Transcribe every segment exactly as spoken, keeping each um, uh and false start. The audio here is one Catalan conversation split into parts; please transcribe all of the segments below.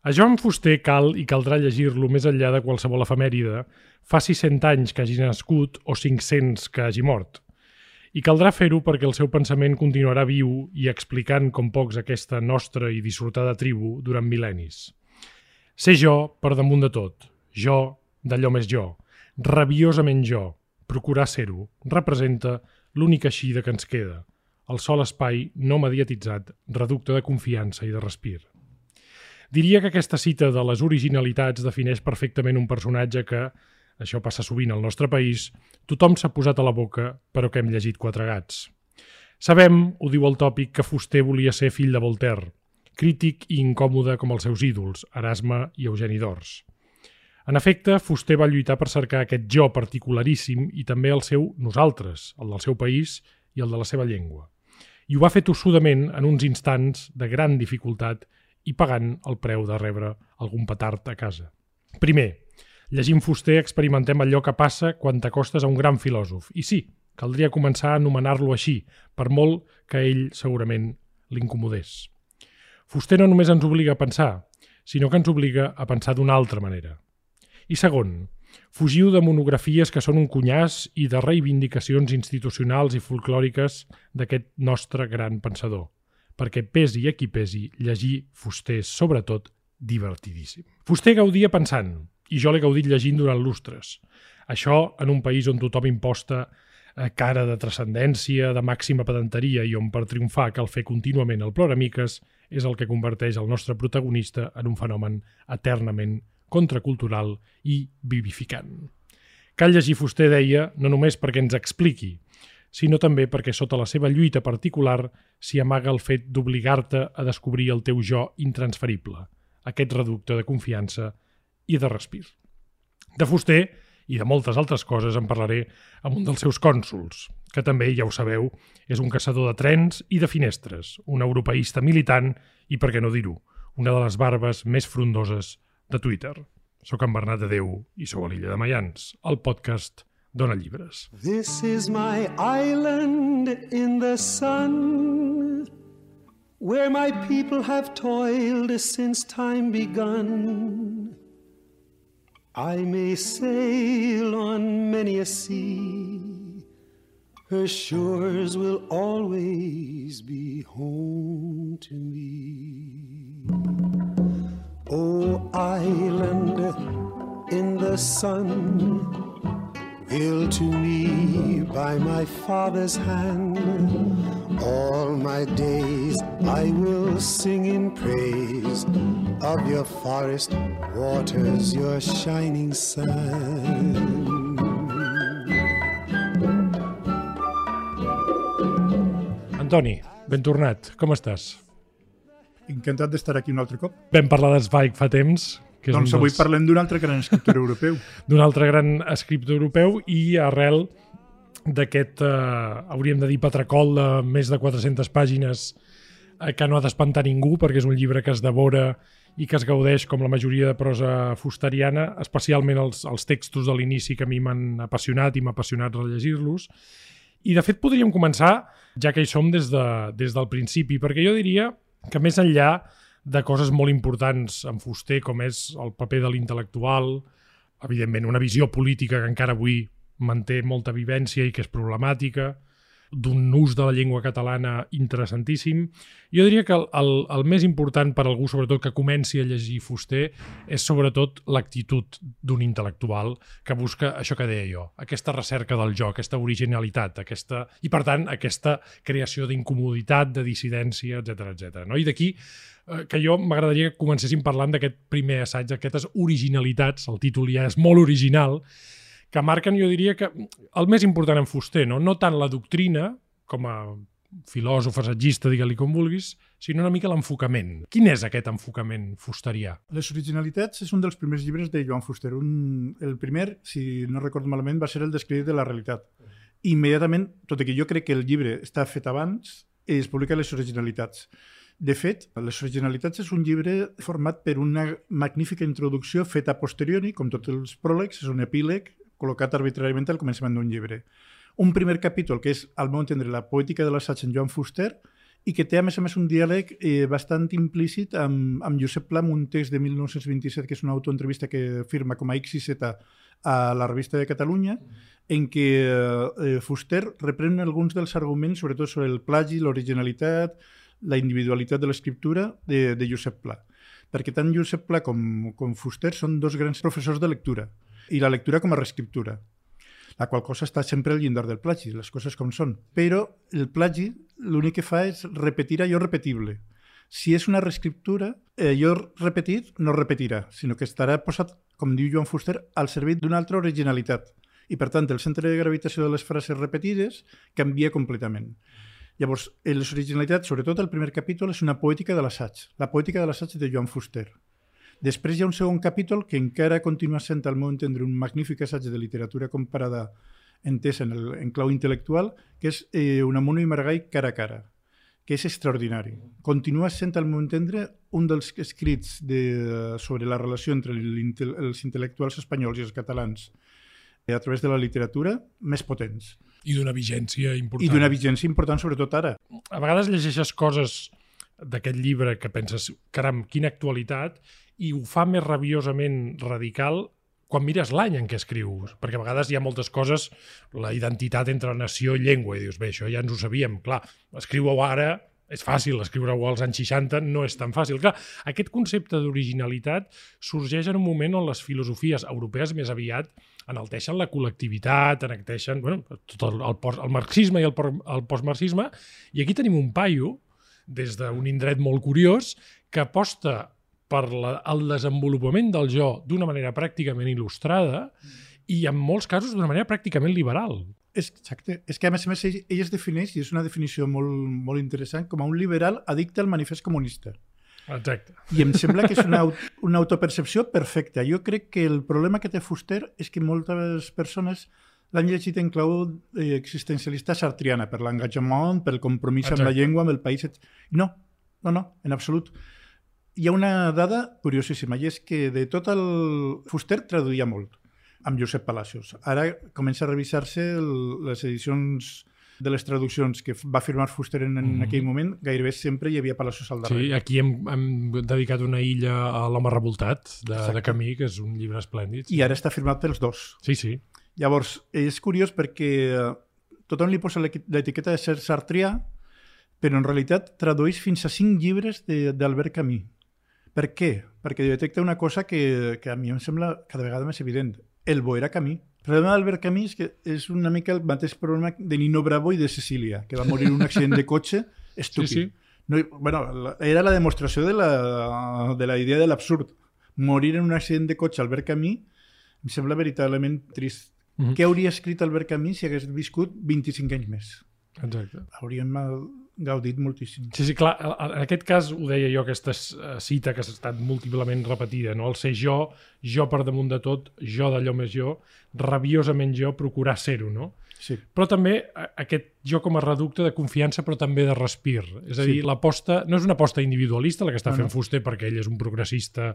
A Joan Fuster cal i caldrà llegir-lo més enllà de qualsevol efemèride, faci cent anys que hagi nascut o cinc-cents que hagi mort. I caldrà fer-ho perquè el seu pensament continuarà viu i explicant com pocs aquesta nostra i dissortada tribu durant mil·lennis. Ser jo per damunt de tot, jo d'allò més jo, rabiosament jo, procurar ser-ho, representa l'única eixida que ens queda, el sol espai no mediatitzat, reducte de confiança i de respir. Diria que aquesta cita de les originalitats defineix perfectament un personatge que, això passa sovint al nostre país, tothom s'ha posat a la boca, però que hem llegit quatre gats. Sabem, ho diu el tòpic, que Fuster volia ser fill de Voltaire, crític i incòmode com els seus ídols, Erasme i Eugeni d'Ors. En efecte, Fuster va lluitar per cercar aquest jo particularíssim i també el seu nosaltres, el del seu país i el de la seva llengua. I ho va fer tossudament en uns instants de gran dificultat i pagant el preu de rebre algun petard a casa. Primer, llegint Fuster experimentem allò que passa quan t'acostes a un gran filòsof. I sí, caldria començar a anomenar-lo així, per molt que ell segurament l'incomodés. Fuster no només ens obliga a pensar, sinó que ens obliga a pensar d'una altra manera. I segon, fugiu de monografies que són un cunyàs i de reivindicacions institucionals i folclòriques d'aquest nostre gran pensador, perquè pesi a qui pesi, llegir Fuster és, sobretot, divertidíssim. Fuster gaudia pensant, i jo l'he gaudit llegint durant lustres. Això en un país on tothom imposta cara de transcendència, de màxima pedanteria i on per triomfar cal fer contínuament el ploramiques, és el que converteix el nostre protagonista en un fenomen eternament contracultural i vivificant. Cal llegir Fuster, deia, no només perquè ens expliqui, sinó també perquè sota la seva lluita particular s'hi amaga el fet d'obligar-te a descobrir el teu jo intransferible, aquest reducte de confiança i de respir. De Fuster i de moltes altres coses en parlaré amb un dels seus cònsols, que també, ja ho sabeu, és un caçador de trens i de finestres, un europeista militant i, per què no dir-ho, una de les barbes més frondoses de Twitter. Soc en Bernat de Déu i sou a l'Illa de Mayans, el podcast Dona Llibres. This is my island in the sun, where my people have toiled since time begun. I may sail on many a sea, her shores will always be home to me. Oh, island in the sun, built to me by my father's hand, all my days I will sing in praise of your forest waters, your shining sun. Antoni, ben tornat, com estàs? Encantat d'estar aquí un altre cop. Vam parlar d'Zweig fa temps. Que és doncs un avui dels... parlem d'un altre gran escriptor europeu. D'un altre gran escriptor europeu i arrel d'aquest, eh, hauríem de dir, patracol de més de quatre-centes pàgines eh, que no ha d'espantar ningú perquè és un llibre que es devora i que es gaudeix com la majoria de prosa fusteriana, especialment els, els textos de l'inici que a mi m'han apassionat i m'ha apassionat rellegir-los. I de fet podríem començar, ja que hi som, des, de, des del principi, perquè jo diria que més enllà de coses molt importants en Fuster, com és el paper de l'intel·lectual, evidentment una visió política que encara avui manté molta vivència i que és problemàtica, d'un ús de la llengua catalana interessantíssim. Jo diria que el, el, el més important per a algú, sobretot que comenci a llegir Fuster, és sobretot l'actitud d'un intel·lectual que busca això que deia jo, aquesta recerca del jo, aquesta originalitat, aquesta, i per tant aquesta creació d'incomoditat, de dissidència, etcètera, etcètera. No? I d'aquí eh, que jo m'agradaria que comencéssim parlant d'aquest primer assaig, d'aquestes originalitats, el títol ja és molt original, que marquen, jo diria, que el més important en Fuster, no, no tant la doctrina, com a filòsof, assagista, digue-li com vulguis, sinó una mica l'enfocament. Quin és aquest enfocament fusterià? Les originalitats és un dels primers llibres de Joan Fuster. Un, el primer, si no recordo malament, va ser el d'Escrit de la realitat. Immediatament, tot i que jo crec que el llibre està fet abans, es publica les originalitats. De fet, les originalitats és un llibre format per una magnífica introducció feta a posteriori, com tots els pròlegs, és un epíleg col·locat arbitràriament al començament d'un llibre. Un primer capítol, que és, al meu entendre, la poètica de l'assaig en Joan Fuster, i que té, a més a més, un diàleg eh, bastant implícit amb, amb Josep Pla, un text de mil nou-cents vint-i-set, que és una autoentrevista que firma com a X I Z a la Revista de Catalunya, en què eh, Fuster reprèn alguns dels arguments, sobretot sobre el plagi, l'originalitat, la individualitat de l'escriptura de, de Josep Pla. Perquè tant Josep Pla com, com Fuster són dos grans professors de lectura, i la lectura com a reescriptura, la qual cosa està sempre al llindar del plagi, les coses com són. Però el plagi l'únic que fa és repetir allò repetible. Si és una reescriptura, allò repetit no repetirà, sinó que estarà posat, com diu Joan Fuster, al servei d'una altra originalitat. I, per tant, el centre de gravitació de les frases repetides canvia completament. Llavors, les originalitats, sobretot el primer capítol, és una poètica de l'assaig, la poètica de l'assaig de Joan Fuster. Després hi ha un segon capítol que encara continua sent, al meu entendre, un magnífic assaig de literatura comparada entesa en, el, en clau intel·lectual, que és eh, Unamuno i Maragall cara a cara, que és extraordinari. Continua sent, al meu entendre, un dels escrits de, sobre la relació entre els intel·lectuals espanyols i els catalans a través de la literatura més potents. I d'una vigència important. I d'una vigència important, sobretot ara. A vegades llegeixes coses d'aquest llibre que penses, caram, quina actualitat, i ho fa més rabiosament radical quan mires l'any en què escrius, perquè a vegades hi ha moltes coses, la identitat entre nació i llengua, i dius, bé, això ja ens ho sabíem, clar, escriu-ho ara, és fàcil, escriure-ho als anys seixanta no és tan fàcil. Clar, aquest concepte d'originalitat sorgeix en un moment on les filosofies europees més aviat enalteixen la col·lectivitat, enalteixen bueno, tot el, el, post, el marxisme i el, el postmarxisme, i aquí tenim un paio, des d'un indret molt curiós, que aposta per la, el desenvolupament del jo d'una manera pràcticament il·lustrada i en molts casos d'una manera pràcticament liberal. És, exacte. És que a més a més ell, ell es defineix, i és una definició molt, molt interessant, com a un liberal addicte al manifest comunista. Exacte. I em sembla que és una, una autopercepció perfecta. Jo crec que el problema que té Fuster és que moltes persones l'han llegit en clau eh, existencialista sartriana, per l'engagement, pel compromís Exacte. Amb la llengua, amb el país... No, no, no, en absolut. Hi ha una dada curiosíssima, i és que de tot el... Fuster traduïa molt, amb Josep Palacios. Ara comença a revisar-se el, les edicions de les traduccions que va firmar Fuster en, en mm. aquell moment, gairebé sempre hi havia Palacios al darrere. Sí, aquí hem, hem dedicat una illa a l'home revoltat, de, de Camí, que és un llibre esplèndid. Sí. I ara està firmat pels dos. Sí, sí. Llavors, és curiós perquè tothom li posa l'etiqueta de ser sartrià, però en realitat tradueix fins a cinc llibres d'Albert Camus. Per què? Perquè detecta una cosa que, que a mi em sembla cada vegada més evident. El bo era Camus. El problema d'Albert Camus és que és una mica el mateix problema de Nino Bravo i de Cecília, que va morir en un accident de cotxe estúpid. Sí, sí. No, bueno, era la demostració de la, de la idea de l'absurd. Morir en un accident de cotxe Albert Camus em sembla veritablement trist. Mm-hmm. Què hauria escrit Albert Camus si hagués viscut vint-i-cinc anys més? Exacte. Hauríem gaudit moltíssim. Sí, sí, clar, en aquest cas ho deia jo, aquesta cita que ha estat múltiplement repetida, no? El ser jo, jo per damunt de tot, jo d'allò més jo, rabiosament jo, procurar ser-ho, no? Sí. Però també aquest jo com a reducte de confiança, però també de respir. És a dir, sí. l'aposta no és una aposta individualista, la que està no, fent no. Fuster, perquè ell és un progressista,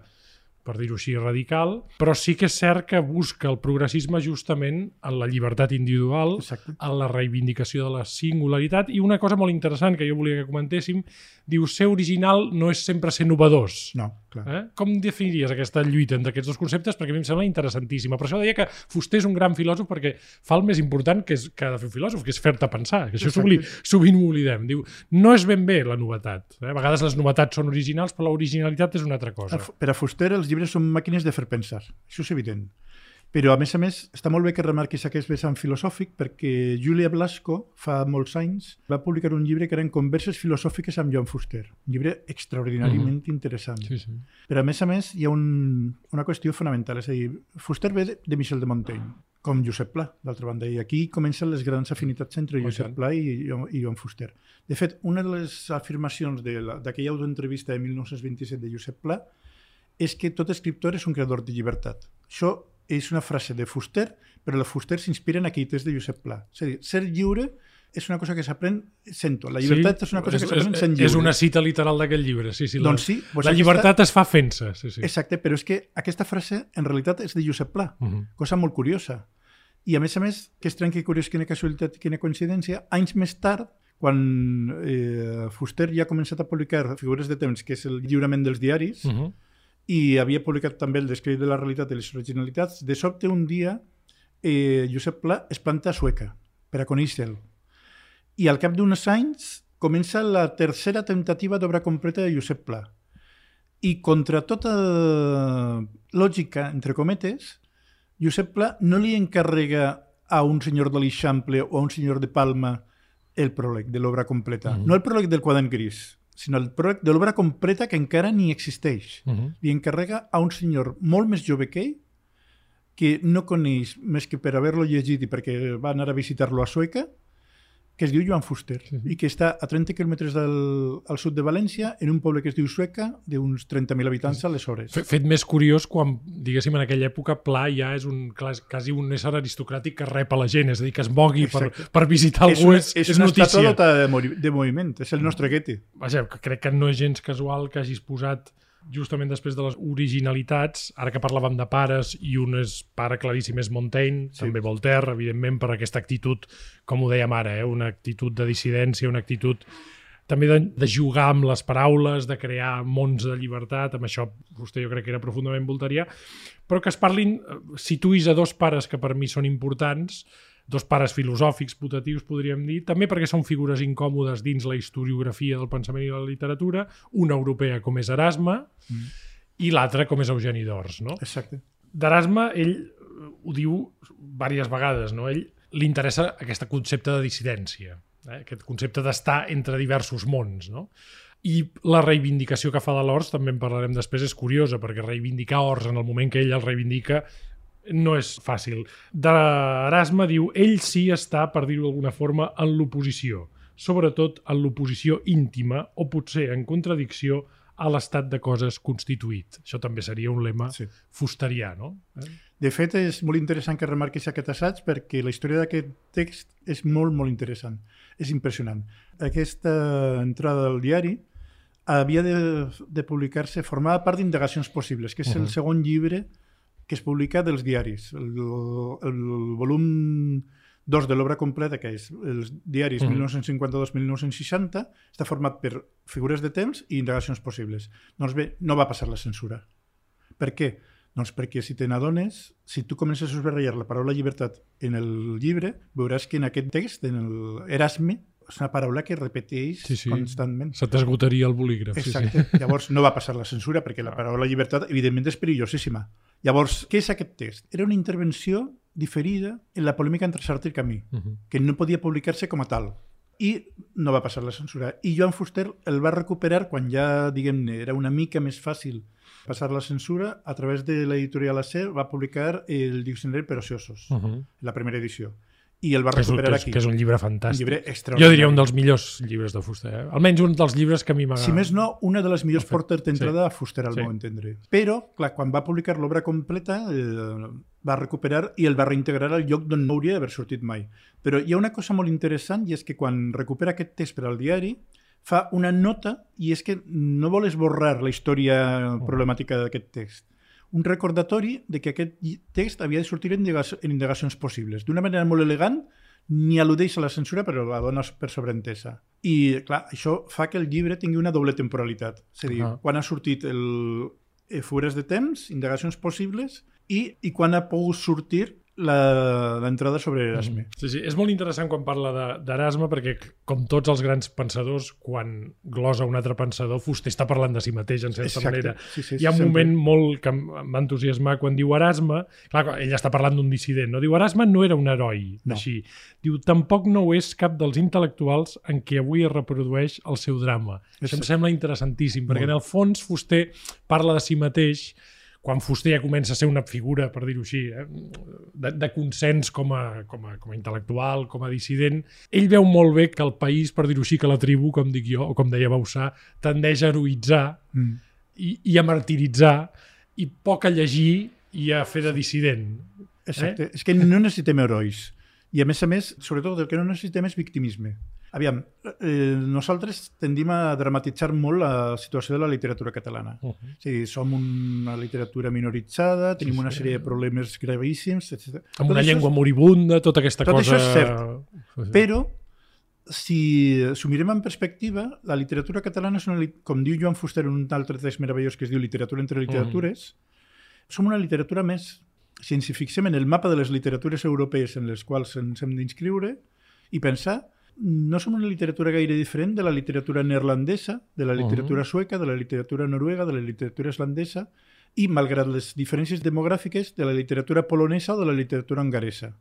per dir-ho així, radical, però sí que és cert que busca el progressisme justament en la llibertat individual, Exacte. En la reivindicació de la singularitat, i una cosa molt interessant que jo volia que comentéssim, diu, ser original no és sempre ser novedós. No, clar. Eh? Com definiries aquesta lluita entre aquests dos conceptes? Perquè a mi em sembla interessantíssima. Per això deia que Fuster és un gran filòsof perquè fa el més important que, és, que ha de fer un filòsof, que és fer-te pensar, que això sovint ho oblidem. Diu, no és ben bé la novetat. Eh? A vegades les novetats són originals, però l'originalitat és una altra cosa. Per a Fuster els llibres són màquines de fer pensar, això és evident. Però, a més a més, està molt bé que remarquis aquest vessant filosòfic perquè Júlia Blasco, fa molts anys, va publicar un llibre que eren converses filosòfiques amb Joan Fuster. Un llibre extraordinàriament uh-huh. interessant. Sí, sí. Però, a més a més, hi ha un, una qüestió fonamental. És a dir, Fuster ve de, de Michel de Montaigne, com Josep Pla, d'altra banda. I aquí comencen les grans afinitats entre Josep Pla i, i Joan Fuster. De fet, una de les afirmacions d'aquella autoentrevista de mil nou-cents vint-i-set de Josep Pla és que tot escriptor és un creador de llibertat. Això és una frase de Fuster, però la Fuster s'inspira en aquell text de Josep Pla. És a dir, ser lliure és una cosa que s'aprèn sent-ho. La llibertat sí, és una cosa que s'aprèn sent lliure. És una cita literal d'aquest llibre. Sí, sí, doncs sí, la, la llibertat aquesta... es fa fent-se. Sí, sí. Exacte, però és que aquesta frase en realitat és de Josep Pla, uh-huh. cosa molt curiosa. I a més a més, que estrany, que curiós, quina casualitat, quina coincidència, anys més tard, quan eh, Fuster ja ha començat a publicar Figures de temps, que és el lliurament dels diaris, uh -huh. i havia publicat també el Descrit de la realitat i les originalitats, de sobte un dia eh, Josep Pla es planta a Sueca per a conèixer-lo. I al cap d'uns anys comença la tercera temptativa d'obra completa de Josep Pla. I contra tota lògica, entre cometes, Josep Pla no li encarrega a un senyor de l'Eixample o a un senyor de Palma el pròleg de l'obra completa. Uh-huh. No el pròleg del quadern gris, sinó el pròleg de l'obra completa que encara ni existeix. Uh-huh. Li encarrega a un senyor molt més jove que ell, que no coneix més que per haver-lo llegit i perquè va anar a visitar-lo a Sueca, que es diu Joan Fuster, uh-huh. i que està a trenta quilòmetres del, al sud de València, en un poble que es diu Sueca, d'uns trenta mil habitants aleshores. Fet més curiós quan, diguéssim, en aquella època, Pla ja és un, quasi un ésser aristocràtic que rep a la gent, és a dir, que es mogui per, per visitar algú, és, és, és notícia. És una estàtua de, movi de moviment, és el nostre Goethe. Vaja, crec que no és gens casual que hagis posat justament després de les originalitats, ara que parlàvem de pares, i un és pare claríssim és Montaigne, sí. també Voltaire, evidentment, per aquesta actitud, com ho dèiem ara, eh? una actitud de dissidència, una actitud també de, de jugar amb les paraules, de crear mons de llibertat, amb això vostè jo crec que era profundament voltarià, però que es parlin, situïs a dos pares que per mi són importants, dos pares filosòfics, putatius, podríem dir, també perquè són figures incòmodes dins la historiografia del pensament i de la literatura, una europea com és Erasme mm. i l'altra com és Eugeni d'Ors. No? Exacte. D'Erasme, ell ho diu diverses vegades, no? Ell li interessa aquest concepte de dissidència, eh? Aquest concepte d'estar entre diversos mons, no? I la reivindicació que fa de l'Ors, també en parlarem després, és curiosa, perquè reivindicar Ors en el moment que ell el reivindica no és fàcil. D'Erasme diu, ell sí està, per dir-ho d'alguna forma, en l'oposició, sobretot en l'oposició íntima o potser en contradicció a l'estat de coses constituït. Això també seria un lema sí. fusterià, no? Eh? De fet, és molt interessant que remarquis aquest assaig perquè la història d'aquest text és molt, molt interessant. És impressionant. Aquesta entrada del diari havia de, de publicar-se, formava part d'Indagacions possibles, que és uh-huh. el segon llibre que es publica dels diaris. El, el volum dos de l'obra completa, que és els diaris uh-huh. mil nou-cents cinquanta-dos a mil nou-cents seixanta, està format per Figures de temps i Indagacions possibles. Doncs bé, no va passar la censura. Per què? Doncs perquè si te n'adones, si tu comences a subratllar la paraula llibertat en el llibre, veuràs que en aquest text, en el Erasme, és una paraula que repeteix sí, sí. constantment. Se t'esgotaria el bolígraf. Exacte. Sí, sí. Llavors no va passar la censura perquè la paraula llibertat evidentment és perillosíssima. Llavors, què és aquest text? Era una intervenció diferida en la polèmica entre Sartre i Camus, uh-huh. que no podia publicar-se com a tal. I no va passar la censura. I Joan Fuster el va recuperar quan ja, diguem-ne, era una mica més fàcil passar la censura. A través de l'editorial A C va publicar el Diccionari per ociosos, uh-huh. la primera edició. I el va recuperar que és, aquí. Que és un llibre fantàstic. Un llibre extraordinari. Jo diria un dels millors llibres de Fuster. Eh? Almenys un dels llibres que a mi m'ha... Si més no, una de les millors portes d'entrada sí. a Fuster, al sí. meu entendre. Però, clar, quan va publicar l'obra completa, eh, va recuperar i el va reintegrar al lloc d'on no hauria d'haver sortit mai. Però hi ha una cosa molt interessant i és que quan recupera aquest text per al diari, fa una nota i és que no vol esborrar la història problemàtica d'aquest text. Un recordatori de que aquest text havia de sortir en Indagacions possibles. D'una manera molt elegant, ni al·ludeix a la censura, però la dona per sobreentesa. I, clar, això fa que el llibre tingui una doble temporalitat. És a dir, uh-huh. quan ha sortit el Figures de temps, Indagacions possibles, i, i quan ha pogut sortir l'entrada sobre Erasme. Sí, sí. És molt interessant quan parla d'Erasme perquè, com tots els grans pensadors, quan glosa un altre pensador, Fuster està parlant de si mateix, en certa Exacte. manera. Sí, sí, Hi ha un sempre. moment molt que em va entusiasmar quan diu Erasme, clar, ell està parlant d'un dissident, no? Diu, Erasme no era un heroi, no. així. Diu, tampoc no ho és cap dels intel·lectuals en què avui es reprodueix el seu drama. Exacte. Això em sembla interessantíssim, perquè molt. en el fons Fuster parla de si mateix quan Fuster ja comença a ser una figura, per dir-ho així, eh, de, de consens com a, com, a, com a intel·lectual, com a dissident, ell veu molt bé que el país, per dir-ho així, que la tribu, com dic jo, o com deia Bauçà, tendeix a heroïtzar mm. i, i a martiritzar i poc a llegir i a fer de dissident. Exacte. Eh? És que no necessitem herois. I a més a més, sobretot, el que no necessitem és victimisme. Aviam, eh, nosaltres tendim a dramatitzar molt la situació de la literatura catalana. Uh-huh. És a dir, som una literatura minoritzada, tenim sí, una sèrie sí. de problemes gravíssims, etcètera. Amb una tot llengua és... moribunda, tota aquesta tot cosa... Tot això és cert, però si s'ho mirem en perspectiva, la literatura catalana, és una, com diu Joan Fuster en un altre text meravellós que es diu Literatura entre literatures, mm. som una literatura més, si ens hi fixem en el mapa de les literatures europees en les quals ens hem d'inscriure i pensar, no som una literatura gaire diferent de la literatura neerlandesa, de la literatura uh-huh. sueca, de la literatura noruega, de la literatura islandesa i, malgrat les diferències demogràfiques, de la literatura polonesa o de la literatura hongaresa.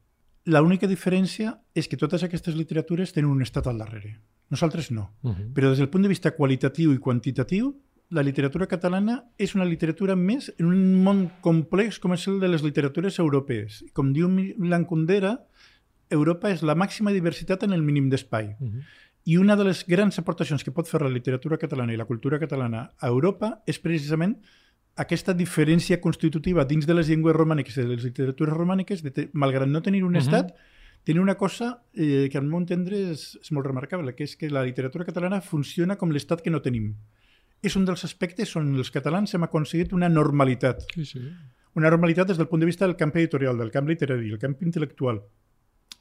L'única diferència és que totes aquestes literatures tenen un estat al darrere. Nosaltres no. Uh-huh. Però des del punt de vista qualitatiu i quantitatiu, la literatura catalana és una literatura més en un món complex com és el de les literatures europees. Com diu Milan Kundera, Europa és la màxima diversitat en el mínim d'espai. Uh-huh. I una de les grans aportacions que pot fer la literatura catalana i la cultura catalana a Europa és precisament aquesta diferència constitutiva dins de les llengües romàniques i de les literatures romàniques, de te, malgrat no tenir un uh-huh. estat, tenir una cosa eh, que al meu entendre és, és molt remarcable, que és que la literatura catalana funciona com l'estat que no tenim. És un dels aspectes on els catalans hem aconseguit una normalitat. Sí, sí. Una normalitat des del punt de vista del camp editorial, del camp literari, del camp intel·lectual,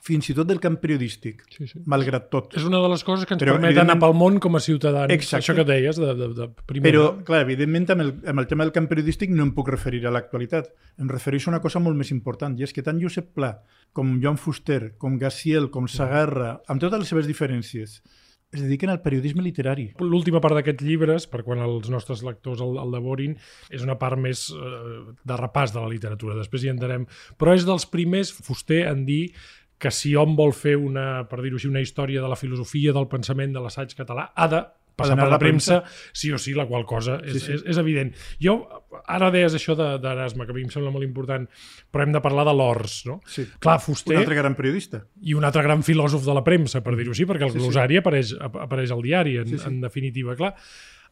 fins i tot del camp periodístic, sí, sí. malgrat tot. És una de les coses que ens Però, permet anar pel món com a ciutadans. Exacte. Això que deies de, de, de primera. Però, clar, evidentment, amb el, amb el tema del camp periodístic no em puc referir a l'actualitat. Em refereixo a una cosa molt més important, i és que tant Josep Pla, com Joan Fuster, com Gaziel, com Sagarra, amb totes les seves diferències, es dediquen al periodisme literari. L'última part d'aquests llibres, per quan els nostres lectors el, el devorin, és una part més eh, de repàs de la literatura. Després hi entrarem. Però és dels primers, Fuster, en dir que si hom vol fer una, per dir-ho així, una història de la filosofia, del pensament, de l'assaig català, ha de passar per la, la premsa, premsa, sí o sí, la qual cosa és, sí, sí. és, és evident. Jo, ara deies això d'Erasme, que a mi em sembla molt important, però hem de parlar de l'Ors, no? Sí. Clar, Fuster... Un altre gran periodista. I un altre gran filòsof de la premsa, per dir-ho així, perquè el sí, glosari sí. apareix, apareix al diari, en, sí, sí. en definitiva. Clar,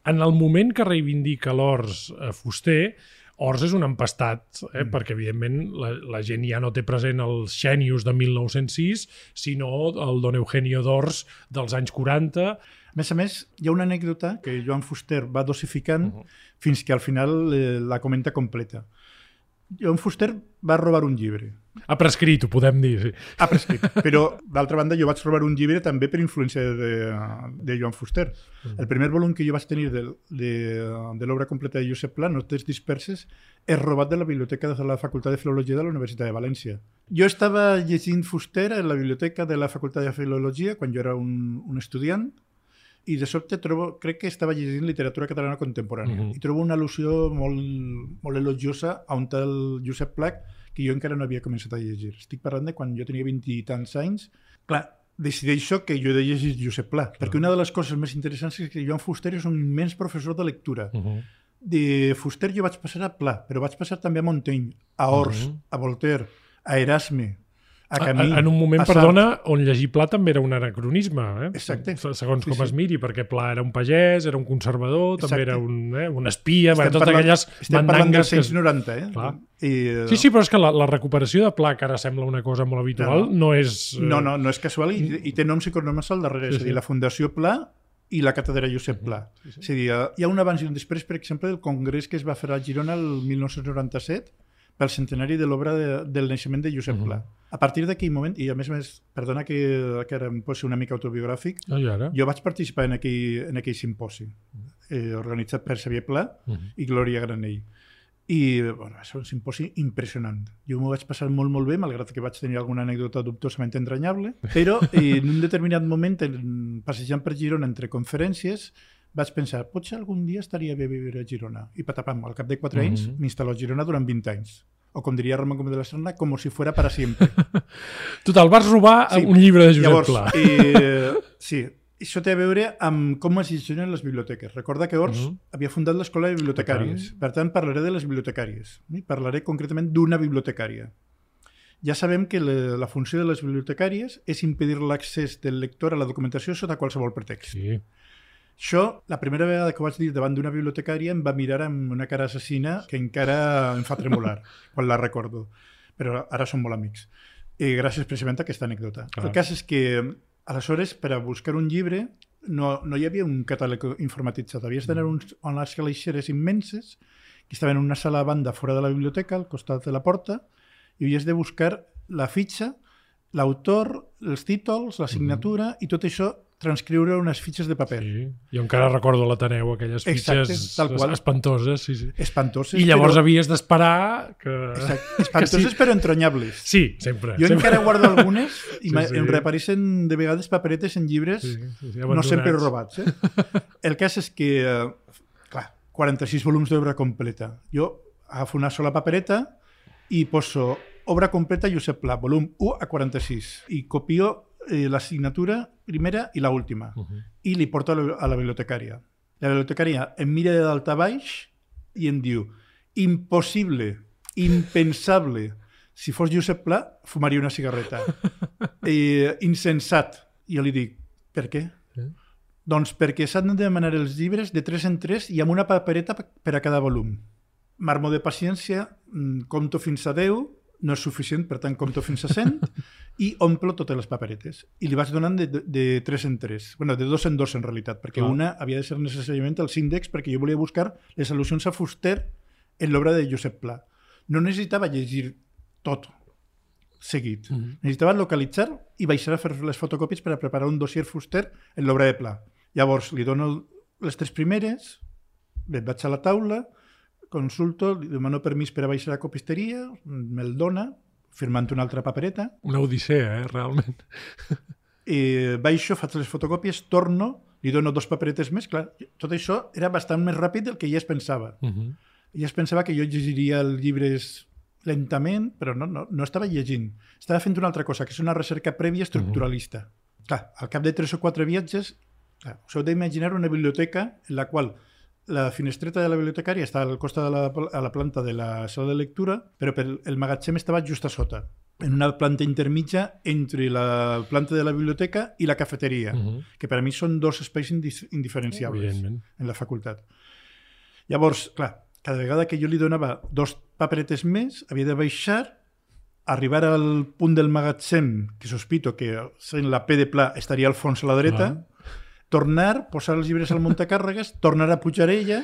en el moment que reivindica l'Ors a Fuster, Ors és un empastat, eh? mm. perquè evidentment la, la gent ja no té present els Xènius de mil nou-cents sis, sinó el Don Eugenio d'Ors dels anys quaranta. A més a més, hi ha una anècdota que Joan Fuster va dosificant uh -huh. fins que al final eh, la comenta completa. Joan Fuster va robar un llibre. Ha prescrit, ho podem dir. Sí. Ha prescrit, però d'altra banda jo vaig robar un llibre també per influència de, de Joan Fuster. Mm. El primer volum que jo vaig tenir de, de, de l'obra completa de Josep Pla, Notes disperses, és robat de la biblioteca de la Facultat de Filologia de la Universitat de València. Jo estava llegint Fuster en la biblioteca de la Facultat de Filologia quan jo era un, un estudiant, i de sobte trobo, crec que estava llegint literatura catalana contemporània, uh-huh. i trobo una al·lusió molt, molt elogiosa a un tal Josep Pla que jo encara no havia començat a llegir. Estic parlant de quan jo tenia vint i tants anys. Clar, decideixo que jo he de llegir Josep Pla, clar. perquè una de les coses més interessants és que Joan Fuster és un immens professor de lectura. Uh-huh. De Fuster jo vaig passar a Pla, però vaig passar també a Montaigne, a Ors, uh-huh. a Voltaire, a Erasme, a Camí, en un moment, perdona, on llegir Pla també era un anacronisme, eh? Exacte. Segons sí, com sí. es miri, perquè Pla era un pagès, era un conservador, Exacte. també era un, eh, un espia, estem totes parlant, aquelles estem parlant dels anys noranta, eh? I, sí, sí, però és que la, la recuperació de Pla, que ara sembla una cosa molt habitual, no, no. no és... No, no, no és casual i, i té noms i cognoms al darrere, sí, és a dir, sí. la Fundació Pla i la càtedra Josep Pla. Sí, sí. És a dir, hi ha un abans i un després, per exemple, del congrés que es va fer a Girona el mil nou-cents noranta-set pel centenari de l'obra de, del naixement de Josep Pla. Uh-huh. A partir d'aquell moment, i a més a més, perdona que, que ara em posi una mica autobiogràfic, oh, jo vaig participar en aquell, en aquell simposi, eh, organitzat per Xavier Pla uh-huh. i Glòria Granell. I bueno, va ser un simposi impressionant. Jo m'ho vaig passar molt, molt bé, malgrat que vaig tenir alguna anècdota dubtosament entranyable, però eh, en un determinat moment, passejant per Girona entre conferències, vaig pensar, potser algun dia estaria bé viure a Girona. I patapam, al cap de quatre anys mm-hmm. m'instal·lo a Girona durant vint anys. O com diria Ramon Gómez de la Serna, com si fuera para siempre. Total, vas robar sí. un llibre de Josep Llavors, Pla. Eh, sí, això té a veure amb com es gestionen les biblioteques. Recorda que Ors mm-hmm. havia fundat l'Escola de Bibliotecàries. Per tant, parlaré de les bibliotecàries. I parlaré concretament d'una bibliotecària. Ja sabem que la, la funció de les bibliotecàries és impedir l'accés del lector a la documentació sota qualsevol pretext. Sí. Això, la primera vegada que ho vaig dir davant d'una bibliotecària em va mirar amb una cara assassina que encara em fa tremolar quan la recordo. Però ara som molt amics. I gràcies precisament a aquesta anècdota. Ah. El cas és que, aleshores, per a buscar un llibre no, no hi havia un catàleg informatitzat. Havies d'anar mm. unes calaixeres immenses que estaven en una sala a banda fora de la biblioteca, al costat de la porta, i havies de buscar la fitxa l'autor, els títols, la signatura, mm-hmm. i tot això transcriure unes fitxes de paper. Sí. Jo encara recordo a l'Ateneu aquelles fitxes Exacte, espantoses. Sí, sí. Espantoses. I llavors però... havies d'esperar que... Exacte. Espantoses que sí. Però entronyables. Sí, sempre. Jo sempre. encara guardo algunes i sí, sí. em reapareixen de vegades paperetes en llibres, sí, sí, sí, no sempre robats. Eh? El cas és que, clar, quaranta-sis volums d'obra completa. Jo agafo una sola papereta i poso obra completa Josep Pla, volum u a quaranta-sis, i copio Eh, la signatura primera i la última uh-huh. i li porto a la, a la bibliotecària. La bibliotecària em mira de dalt a baix i em diu impossible, impensable, si fos Josep Pla fumaria una cigarreta. eh, insensat. I jo li dic, per què? Eh? Doncs perquè s'han de demanar els llibres de tres en tres i amb una papereta per a cada volum. Marmo de paciència, compto fins a deu, no és suficient, per tant compto fins a cent i omplo totes les paperetes. I li vaig donant de, de, de tres en tres. Bueno, de dos en dos en realitat, perquè ah. una havia de ser necessàriament els índexs perquè jo volia buscar les al·lusions a Fuster en l'obra de Josep Pla. No necessitava llegir tot seguit. Mm-hmm. Necessitava localitzar i baixar a fer les fotocòpies per a preparar un dossier Fuster en l'obra de Pla. Llavors li dono les tres primeres, vaig a la taula, consulto, li demano permís per a baixar a la copisteria, me'l dona, firmant una altra papereta. Una odissea, eh, realment. I baixo, faig les fotocòpies, torno, li dono dos paperetes més. Clar, tot això era bastant més ràpid del que ja es pensava. Uh-huh. Ja es pensava que jo llegiria els llibres lentament, però no, no, no estava llegint. Estava fent una altra cosa, que és una recerca prèvia estructuralista. Uh-huh. Clar, al cap de tres o quatre viatges, clar, us heu d'imaginar una biblioteca en la qual la finestreta de la bibliotecària està al costat de la, a la planta de la sala de lectura, però per el magatzem estava just a sota, en una planta intermitja entre la planta de la biblioteca i la cafeteria, uh-huh. que per a mi són dos espais indiferenciables en la facultat. Llavors, clar, cada vegada que jo li donava dos paperetes més, havia de baixar, arribar al punt del magatzem, que sospito que sent la P de Pla estaria al fons a la dreta, uh-huh. tornar, posar els llibres al muntacàrregues, tornar a pujar ella,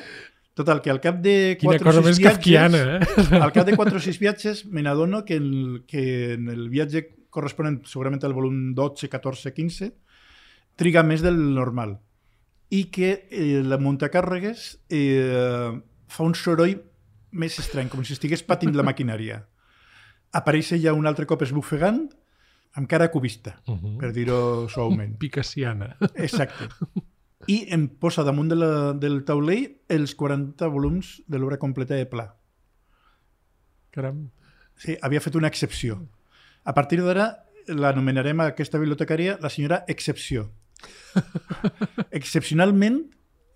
total, que al cap de quatre o sis viatges, kafkiana, eh? al cap de quatre o sis viatges me n'adono que, el, que en el viatge corresponent segurament al volum dotze, catorze, quinze, triga més del normal. I que eh, la muntacàrregues eh, fa un soroll més estrany, com si estigués patint la maquinària. Apareix ja un altre cop esbufegant, amb cara cubista, uh-huh. per dir-ho suaument. Picassiana. Exacte. I em posa damunt de la, del taulell els quaranta volums de l'obra completa de Pla. Caram. Sí, havia fet una excepció. A partir d'ara l'anomenarem a aquesta bibliotecària la senyora Excepció. Excepcionalment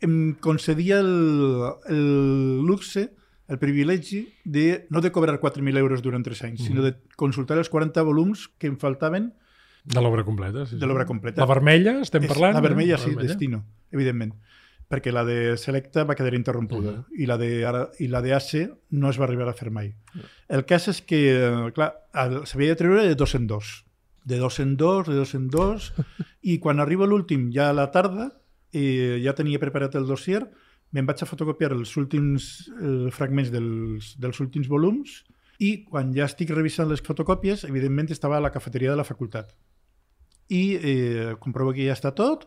em concedia el, el luxe, el privilegi de no de cobrar quatre mil euros durant tres anys, mm. sinó de consultar els quaranta volums que em faltaven de l'obra completa. Sí, de l'obra completa. La vermella, estem és, parlant? La vermella, eh? sí, vermella. Destino, evidentment. Perquè la de Selecta va quedar interrompuda uh-huh. i la de ara, i la de A C no es va arribar a fer mai. Uh-huh. El cas és que, clar, s'havia de treure de dos en dos. De dos en dos, de dos en dos, i quan arriba l'últim, ja a la tarda, eh, ja tenia preparat el dossier, me'n vaig a fotocopiar els últims eh, fragments dels, dels últims volums i quan ja estic revisant les fotocòpies, evidentment estava a la cafeteria de la facultat. I eh, comprovo que ja està tot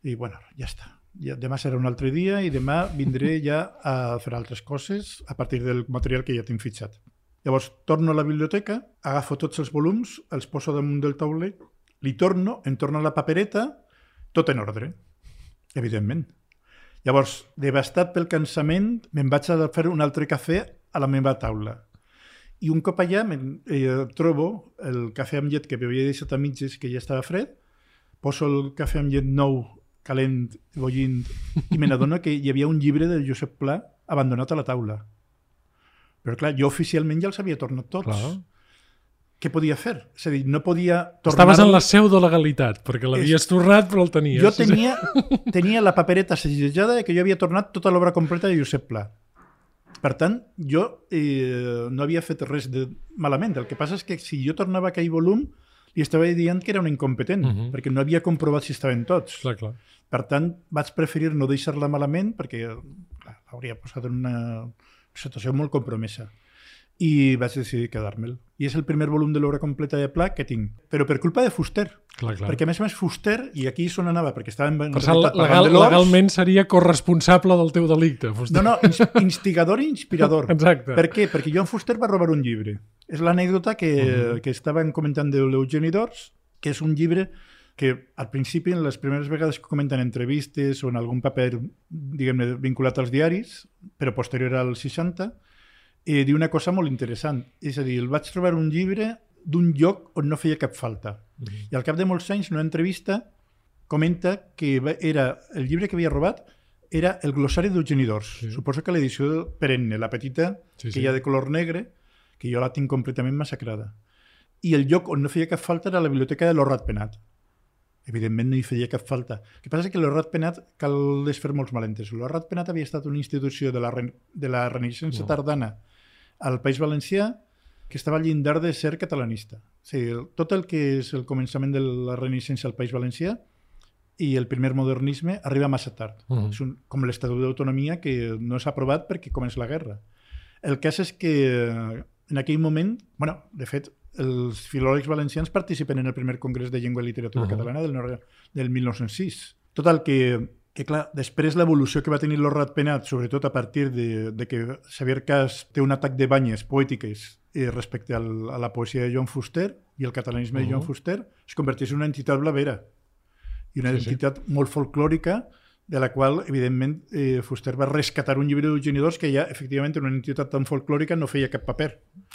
i, bueno, ja està. Ja, demà serà un altre dia i demà vindré ja a fer altres coses a partir del material que ja tinc fitxat. Llavors, torno a la biblioteca, agafo tots els volums, els poso damunt del taulell, li torno, em torno a la papereta, tot en ordre, evidentment. Llavors, devastat pel cansament, me'n vaig a fer un altre cafè a la meva taula. I un cop allà eh, trobo el cafè amb llet que m'havia deixat a mitges, que ja estava fred, poso el cafè amb llet nou, calent, bullint, i me n'adono que hi havia un llibre de Josep Pla abandonat a la taula. Però clar, jo oficialment ja els havia tornat tots. Clar. Què podia fer? És a dir, no podia tornar... Estaves en la pseudolegalitat, perquè l'havies és... tornat, però el tenies. Jo tenia, tenia la papereta segellada que jo havia tornat tota l'obra completa de Josep Pla. Per tant, jo eh, no havia fet res de malament. El que passa és que si jo tornava aquell volum, li estava dient que era un incompetent, uh-huh. perquè no havia comprovat si estaven tots. Clar, clar. Per tant, vaig preferir no deixar-la malament, perquè clar, l'hauria posat en una situació molt compromesa. i vaig decidir quedar-me'l. I és el primer volum de l'obra completa de Pla que tinc. Però per culpa de Fuster. Clar, clar. Perquè a més a més Fuster, i aquí és on anava, perquè estava en per cert, legal, legalment seria corresponsable del teu delicte. Fuster. No, no, ins instigador i inspirador. Exacte. Per què? Perquè Joan Fuster va robar un llibre. És l'anècdota que, uh-huh. que estaven comentant de l'Eugeni d'Ors, que és un llibre que al principi, en les primeres vegades que comenten entrevistes o en algun paper, diguem-ne, vinculat als diaris, però posterior al seixanta, eh, diu una cosa molt interessant. És a dir, el vaig trobar un llibre d'un lloc on no feia cap falta. Mm-hmm. I al cap de molts anys, en una entrevista, comenta que era el llibre que havia robat era el glossari d'Eugeni d'Ors. Sí. Suposo que l'edició perenne, la petita, sí, que sí. hi ha de color negre, que jo la tinc completament massacrada. I el lloc on no feia cap falta era la biblioteca de l'Horrat Penat. Evidentment no hi feia cap falta. El que passa és que l'Horrat Penat cal desfer molts malentès. L'Horrat Penat havia estat una institució de la, re... de la Renaixença no. tardana al País Valencià que estava al llindar de ser catalanista. O sigui, tot el que és el començament de la Renaixença al País Valencià i el primer modernisme arriba massa tard. Uh-huh. És un, com l'Estatut d'Autonomia que no s'ha aprovat perquè comença la guerra. El cas és que en aquell moment, bueno, de fet, els filòlegs valencians participen en el primer Congrés de Llengua i Literatura uh-huh. catalana del, del mil nou-cents sis. Tot el que, que clar, després l'evolució que va tenir l'Horrat Penat, sobretot a partir de, de que Xavier Cas té un atac de banyes poètiques eh, respecte al, a la poesia de Joan Fuster i el catalanisme uh-huh. de Joan Fuster, es converteix en una entitat blavera i una sí, entitat sí. molt folclòrica de la qual, evidentment, eh, Fuster va rescatar un llibre d'Eugeni d'Ors que ja, efectivament, en una entitat tan folclòrica no feia cap paper.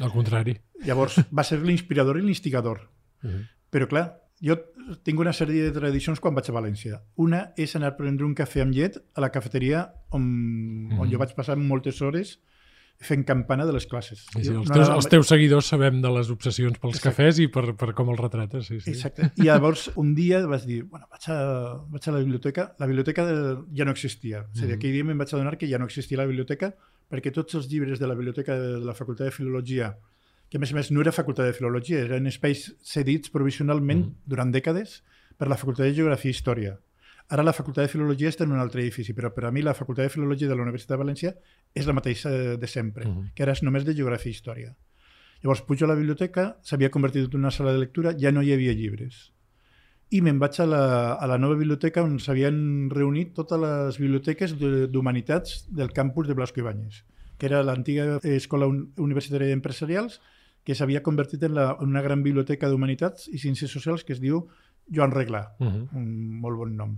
Al contrari. Llavors, va ser l'inspirador i l'instigador. Uh-huh. Però, clar, jo tinc una sèrie de tradicions quan vaig a València. Una és anar a prendre un cafè amb llet a la cafeteria on, uh-huh. on jo vaig passar moltes hores fent campana de les classes. Sí, sí, els, teus, els teus seguidors sabem de les obsessions pels Exacte. Cafès i per, per com els retrates. Sí, sí. Exacte. I llavors un dia vaig dir, bueno, vaig a, vaig a la biblioteca. La biblioteca de, ja no existia. O sigui, mm-hmm. aquell dia me'n vaig adonar que ja no existia la biblioteca perquè tots els llibres de la biblioteca de la Facultat de Filologia, que a més a més no era Facultat de Filologia, eren espais cedits provisionalment mm-hmm. durant dècades per la Facultat de Geografia i Història. Ara la Facultat de Filologia està en un altre edifici, però per a mi la Facultat de Filologia de la Universitat de València és la mateixa de sempre, uh-huh. que ara és només de Geografia i Història. Llavors pujo a la biblioteca, s'havia convertit en una sala de lectura, ja no hi havia llibres. I me'n vaig a la, a la nova biblioteca on s'havien reunit totes les biblioteques d'humanitats del campus de Blasco Ibáñez, que era l'antiga Escola Universitària d'Empresarials, que s'havia convertit en, la, en una gran biblioteca d'humanitats i ciències socials que es diu Joan Reglà, uh-huh. un molt bon nom.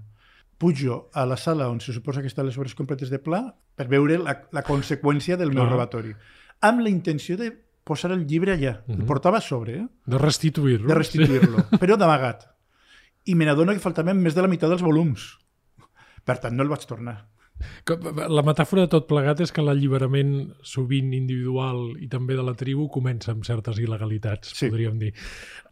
Pujo a la sala on se suposa que estan les obres completes de Pla per veure la, la conseqüència del meu uh-huh. robatori, amb la intenció de posar el llibre allà. Uh-huh. El portava a sobre. Eh? De restituir-lo. De restituir-lo, sí. Però d'amagat. I me n'adono que faltaven més de la meitat dels volums. Per tant, no el vaig tornar. La metàfora de tot plegat és que l'alliberament sovint individual i també de la tribu comença amb certes il·legalitats, sí. podríem dir.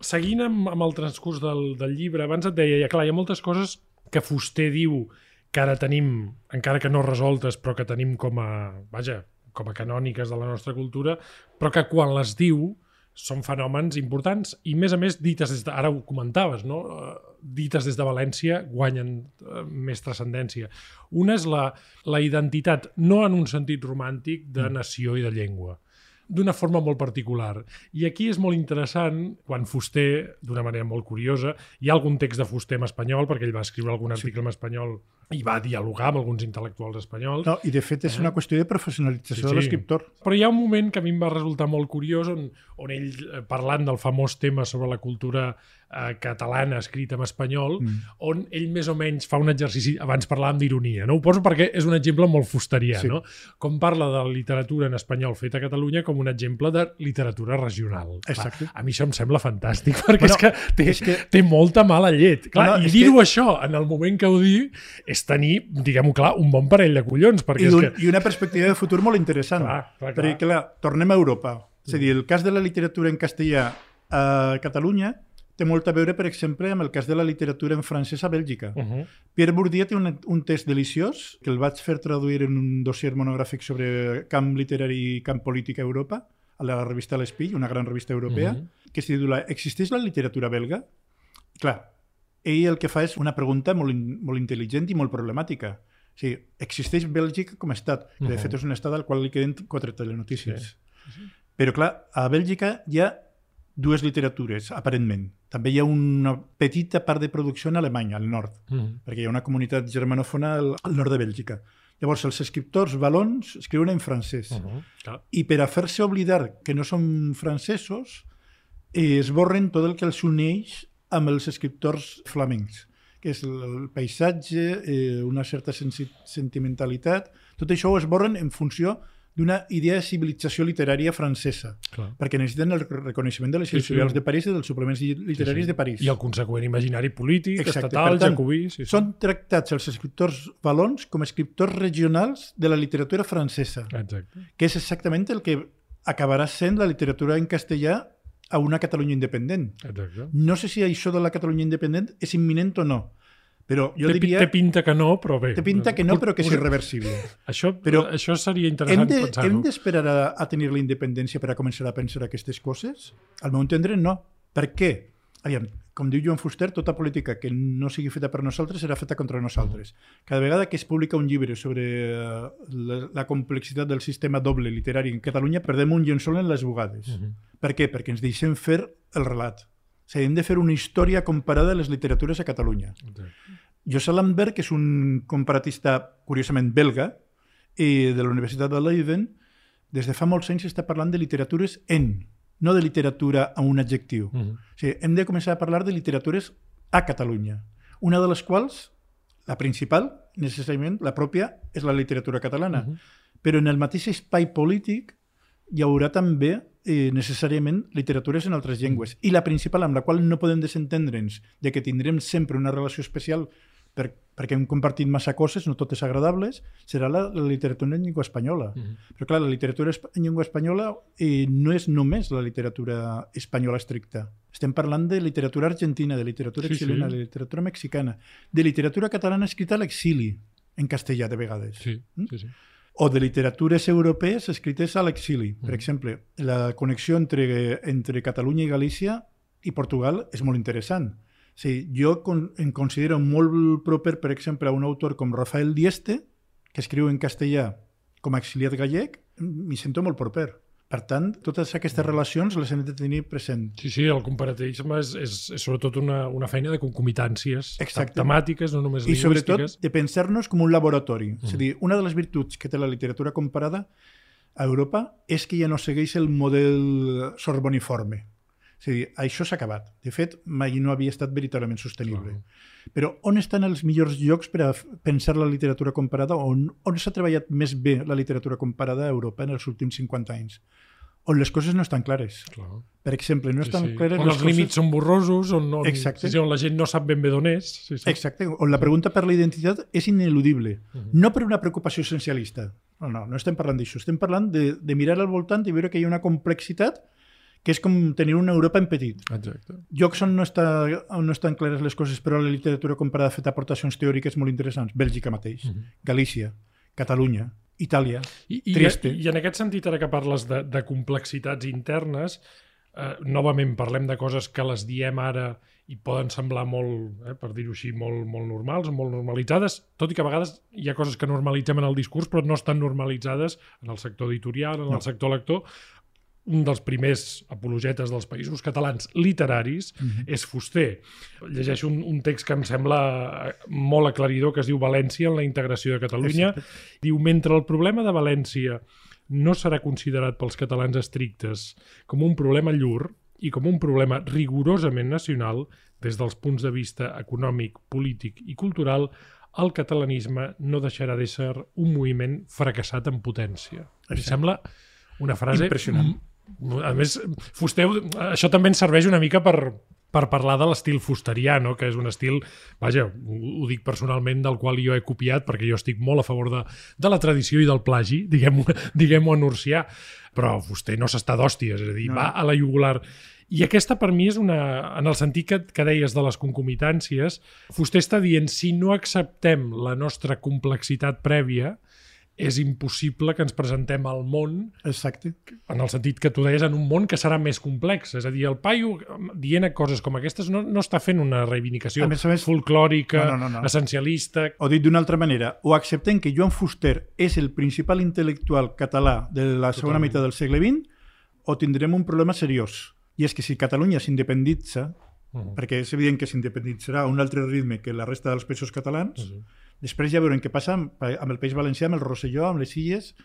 Seguint amb, amb el transcurs del, del llibre, abans et deia, ja clar, hi ha moltes coses que Fuster diu que ara tenim, encara que no resoltes, però que tenim com a, vaja, com a canòniques de la nostra cultura, però que quan les diu són fenòmens importants i, més a més, dites des de, ara ho comentaves, no? Dites des de València guanyen uh, més transcendència. Una és la, la identitat, no en un sentit romàntic, de nació i de llengua, d'una forma molt particular. I aquí és molt interessant quan Fuster, d'una manera molt curiosa, hi ha algun text de Fuster en espanyol, perquè ell va escriure algun article sí. en espanyol i va dialogar amb alguns intel·lectuals espanyols. No, i de fet és eh? una qüestió de professionalització sí, sí. de l'escriptor. Però hi ha un moment que a mi em va resultar molt curiós on, on ell, parlant del famós tema sobre la cultura eh, catalana escrita en espanyol, mm. on ell més o menys fa un exercici, abans parlàvem d'ironia, no? Ho poso perquè és un exemple molt fusterià, sí. no? Com parla de la literatura en espanyol feta a Catalunya com un exemple de literatura regional. Exacte. Clar, a mi això em sembla fantàstic, perquè bueno, és que té, és que té molta mala llet. Clar, no, no, I dir-ho que... això en el moment que ho diu és tenir, diguem-ho clar, un bon parell de collons. Perquè I, és un, que... I una perspectiva de futur molt interessant. Clar, clar, clar. Perquè, clar, tornem a Europa. És a dir, el cas de la literatura en castellà a Catalunya té molt a veure, per exemple, amb el cas de la literatura en francès a Bèlgica. Uh-huh. Pierre Bourdieu té un, un text deliciós que el vaig fer traduir en un dossier monogràfic sobre camp literari i camp polític a Europa, a la revista L'Espill, una gran revista europea, uh-huh. que es titula «Existeix la literatura belga?» Clar, ell el que fa és una pregunta molt, molt intel·ligent i molt problemàtica. O sigui, existeix Bèlgica com a estat, que de fet és un estat al qual li queden quatre telenotícies. Sí. Sí. Però, clar, a Bèlgica hi ha dues literatures, aparentment. També hi ha una petita part de producció en Alemanya, al nord, mm. perquè hi ha una comunitat germanòfona al, al nord de Bèlgica. Llavors, els escriptors valons escriuen en francès. Uh-huh. Ah. I per a fer-se oblidar que no són francesos, eh, esborren tot el que els uneix amb els escriptors flamencs, que és el paisatge, eh, una certa sensi- sentimentalitat. Tot això ho esborren en funció d'una idea de civilització literària francesa, Clar. perquè necessiten el reconeixement de les editorials sí, sí. de París i dels suplements literaris sí, sí. de París. I el conseqüent imaginari polític, Exacte. estatal, tant, jacobí... Sí, sí. Són tractats els escriptors valons com a escriptors regionals de la literatura francesa, Exacte. que és exactament el que acabarà sent la literatura en castellà a una Catalunya independent. Exacte. No sé si això de la Catalunya independent és imminent o no, però jo té, diria... Té pinta que no, però bé. Té pinta que no, però que és irreversible. Això, però això seria interessant hem de, pensar-ho. Hem d'esperar a, a tenir la independència per a començar a pensar aquestes coses? Al meu entendre, no. Per què? Aviam, com diu Joan Fuster, tota política que no sigui feta per nosaltres serà feta contra nosaltres. Cada vegada que es publica un llibre sobre la, la complexitat del sistema doble literari en Catalunya, perdem un llençol en les bugades. Uh-huh. Per què? Perquè ens deixem fer el relat. O sigui, hem de fer una història comparada a les literatures a Catalunya. Okay. José Lambert, que és un comparatista curiosament belga i de la Universitat de Leiden, des de fa molts anys està parlant de literatures en, no de literatura amb un adjectiu. Uh-huh. O sigui, hem de començar a parlar de literatures a Catalunya, una de les quals, la principal, necessàriament, la pròpia, és la literatura catalana. Uh-huh. Però en el mateix espai polític hi haurà també eh, necessàriament literatures en altres llengües. I la principal, amb la qual no podem desentendre'ns de que tindrem sempre una relació especial per, perquè hem compartit massa coses, no totes agradables, serà la, la literatura en llengua espanyola. Uh-huh. Però clar, la literatura en llengua espanyola eh, no és només la literatura espanyola estricta. Estem parlant de literatura argentina, de literatura sí, xilena, sí. de literatura mexicana, de literatura catalana escrita a l'exili, en castellà de vegades. Sí, mm? sí, sí. O de literatures europees escrites a l'exili. Per exemple, la connexió entre, entre Catalunya i Galícia i Portugal és molt interessant. O sigui, jo con, em considero molt proper, per exemple, a un autor com Rafael Dieste, que escriu en castellà com a exiliat gallec, m'hi sento molt proper. Per tant, totes aquestes relacions les hem de tenir present. Sí, sí, el comparativisme és, és, és sobretot una, una feina de concomitàncies Exacte. temàtiques, no només I lingüístiques. I sobretot de pensar-nos com un laboratori. Mm. És a dir, una de les virtuts que té la literatura comparada a Europa és que ja no segueix el model sorboniforme. És a dir, això s'ha acabat. De fet, mai no havia estat veritablement sostenible. Clar. Però on estan els millors llocs per a pensar la literatura comparada? On, on s'ha treballat més bé la literatura comparada a Europa en els últims cinquanta anys? On les coses no estan clares. Clar. Per exemple, no estan sí, sí. clares on les els coses... límits són borrosos, on, on, sí, sí, on la gent no sap ben bé d'on és. Sí, sí. Exacte, on la pregunta per la identitat és ineludible. Uh-huh. No per una preocupació essencialista. No, no, no estem parlant d'això. Estem parlant de, de mirar al voltant i veure que hi ha una complexitat que és com tenir una Europa en petit. Exacte. Llocs on no, està, on no estan clares les coses, però la literatura comparada ha fet aportacions teòriques molt interessants. Bèlgica mateix, uh-huh. Galícia, Catalunya, Itàlia, I, i, Trieste. I, I en aquest sentit, ara que parles de, de complexitats internes, eh, novament parlem de coses que les diem ara i poden semblar molt, eh, per dir-ho així, molt, molt normals, molt normalitzades, tot i que a vegades hi ha coses que normalitzem en el discurs però no estan normalitzades en el sector editorial, en no. el sector lector. Un dels primers apologetes dels països catalans literaris mm-hmm. és Fuster. Llegeixo un, un text que em sembla molt aclaridor, que es diu València en la integració de Catalunya. Exacte. Diu, mentre el problema de València no serà considerat pels catalans estrictes com un problema llur i com un problema rigorosament nacional, des dels punts de vista econòmic, polític i cultural, el catalanisme no deixarà d'ésser un moviment fracassat en potència. Exacte. Em sembla una frase... impressionant. A més, Fuster, això també ens serveix una mica per, per parlar de l'estil fusterià, no? Que és un estil, vaja, ho, ho dic personalment, del qual jo he copiat, perquè jo estic molt a favor de, de la tradició i del plagi, diguem-ho diguem-ho en urcià, però Fuster no s'està d'hòsties, és a dir, no. va a la jugular. I aquesta per mi és una, en el sentit que, que deies de les concomitàncies, Fuster està dient, si no acceptem la nostra complexitat prèvia, és impossible que ens presentem al món. Exacte. En el sentit que tu deies, en un món que serà més complex. És a dir, el paio, dient coses com aquestes, no, no està fent una reivindicació a més a més, folclòrica, no, no, no, no. essencialista... O dit d'una altra manera, o acceptem que Joan Fuster és el principal intel·lectual català de la segona Totalment. meitat del segle vint, o tindrem un problema seriós. I és que si Catalunya s'independitza, uh-huh. perquè és evident que s'independitzarà a un altre ritme que la resta dels països catalans, uh-huh. després ja veurem què passa amb, amb el País Valencià, amb el Rosselló, amb les Illes,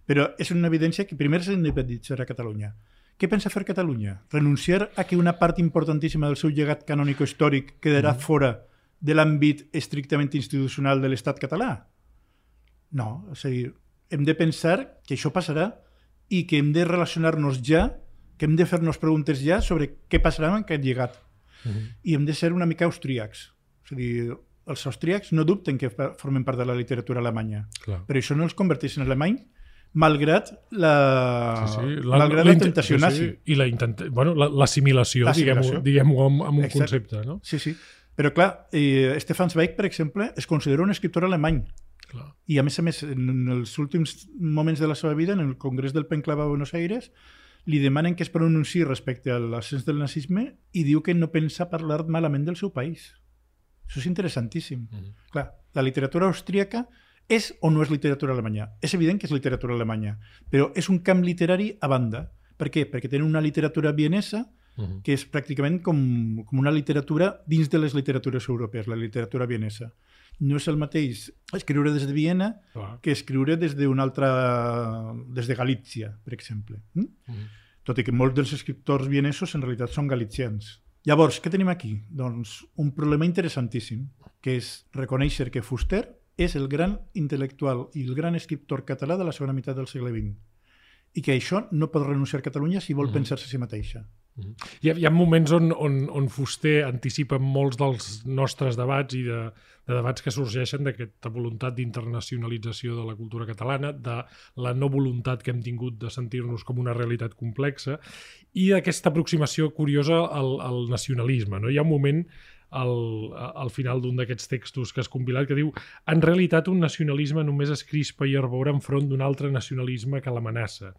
però és una evidència que primer s'independitzarà Catalunya. Què pensa fer Catalunya? Renunciar a que una part importantíssima del seu llegat canònico-històric quedarà uh-huh. fora de l'àmbit estrictament institucional de l'Estat català? No, és a dir, hem de pensar que això passarà i que hem de relacionar-nos ja, que hem de fer-nos preguntes ja sobre què passarà amb aquest llegat. Uh-huh. I hem de ser una mica austríacs. És a dir, els austríacs no dubten que formen part de la literatura alemanya, Clar. Però això no els converteix en alemany malgrat la, sí, sí. la, malgrat la, la tentació sí, sí. nazi. I la intenta... bueno, l'assimilació, diguem-ho diguem amb, amb un Exacte. Concepte. No? Sí, sí. Però clar, eh, Stefan Zweig, per exemple, es considera un escriptor alemany. Clar. I a més a més, en els últims moments de la seva vida, en el Congrés del Penclava a Buenos Aires, li demanen que es pronunciï respecte a l'ascens del nazisme i diu que no pensa parlar malament del seu país. Això és interessantíssim. Mm-hmm. Clar, la literatura austríaca és o no és literatura alemanya? És evident que és literatura alemanya, però és un camp literari a banda. Per què? Perquè tenen una literatura vienesa uh-huh. que és pràcticament com, com una literatura dins de les literatures europees, la literatura vienesa. No és el mateix escriure des de Viena uh-huh. que escriure des d'una altra... des de Galícia, per exemple. Mm? Uh-huh. Tot i que molts dels escriptors vienesos en realitat són galicians. Llavors, què tenim aquí? Doncs un problema interessantíssim, que és reconèixer que Fuster és el gran intel·lectual i el gran escriptor català de la segona meitat del segle vint i que això no pot renunciar a Catalunya si vol uh-huh. pensar-se a si mateixa. Uh-huh. Hi, ha, hi ha moments on, on, on Fuster anticipa molts dels nostres debats i de, de debats que sorgeixen d'aquesta voluntat d'internacionalització de la cultura catalana, de la no voluntat que hem tingut de sentir-nos com una realitat complexa i d'aquesta aproximació curiosa al, al nacionalisme. No? Hi ha un moment al, al final d'un d'aquests textos que has compilat que diu: en realitat un nacionalisme només es crispa i arbora enfront d'un altre nacionalisme que l'amenaça.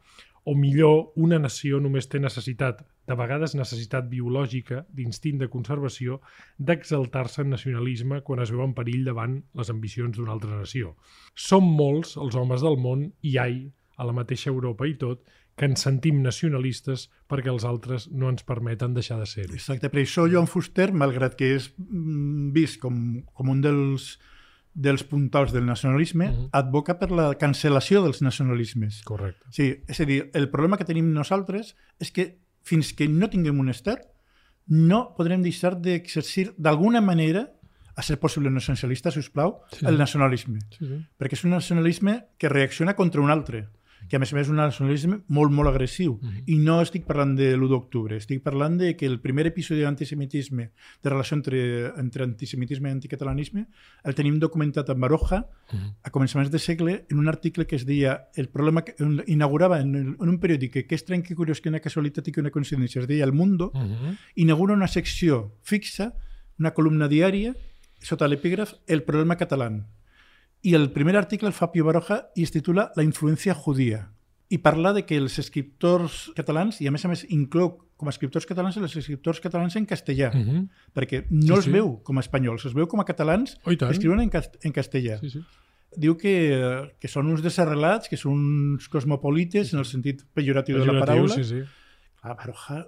O millor, una nació només té necessitat, de vegades necessitat biològica, d'instint de conservació, d'exaltar-se en nacionalisme quan es veu en perill davant les ambicions d'una altra nació. Som molts els homes del món, i ai, a la mateixa Europa i tot, que ens sentim nacionalistes perquè els altres no ens permeten deixar de ser-ho. Exacte, per això Joan Fuster, malgrat que és vist com, com un dels, dels puntals del nacionalisme, uh-huh. advoca per la cancel·lació dels nacionalismes. Correcte. Sí, és a dir, el problema que tenim nosaltres és que fins que no tinguem un estat, no podrem deixar d'exercir d'alguna manera, a ser possible no essencialista, si us plau, sí. el nacionalisme. Sí, sí. Perquè és un nacionalisme que reacciona contra un altre, que a més a més és un nacionalisme molt, molt agressiu. Uh-huh. I no estic parlant de l'u d'octubre, estic parlant de que el primer episodi d'antisemitisme, de relació entre, entre antisemitisme i anticatalanisme, el tenim documentat en Baroja, uh-huh. a començaments de segle, en un article que es deia, el problema que inaugurava en, el, en un periòdic que és estrany, que curiós, que una casualitat i que una coincidència, es deia El Mundo, uh-huh. inaugura una secció fixa, una columna diària, sota l'epígraf El problema català. I el primer article el fa Pío Baroja i es titula La influència judía. I parla de que els escriptors catalans, i a més a més inclou com a escriptors catalans els escriptors catalans en castellà, uh-huh. perquè no sí, els sí. veu com a espanyols, els veu com a catalans oh, que escriuen en, cast en castellà. Sí, sí. Diu que, que són uns desarrelats, que són uns cosmopolites, sí, sí. en el sentit pejoratiu, pejoratiu de la paraula. Sí, sí. Ah, Baroja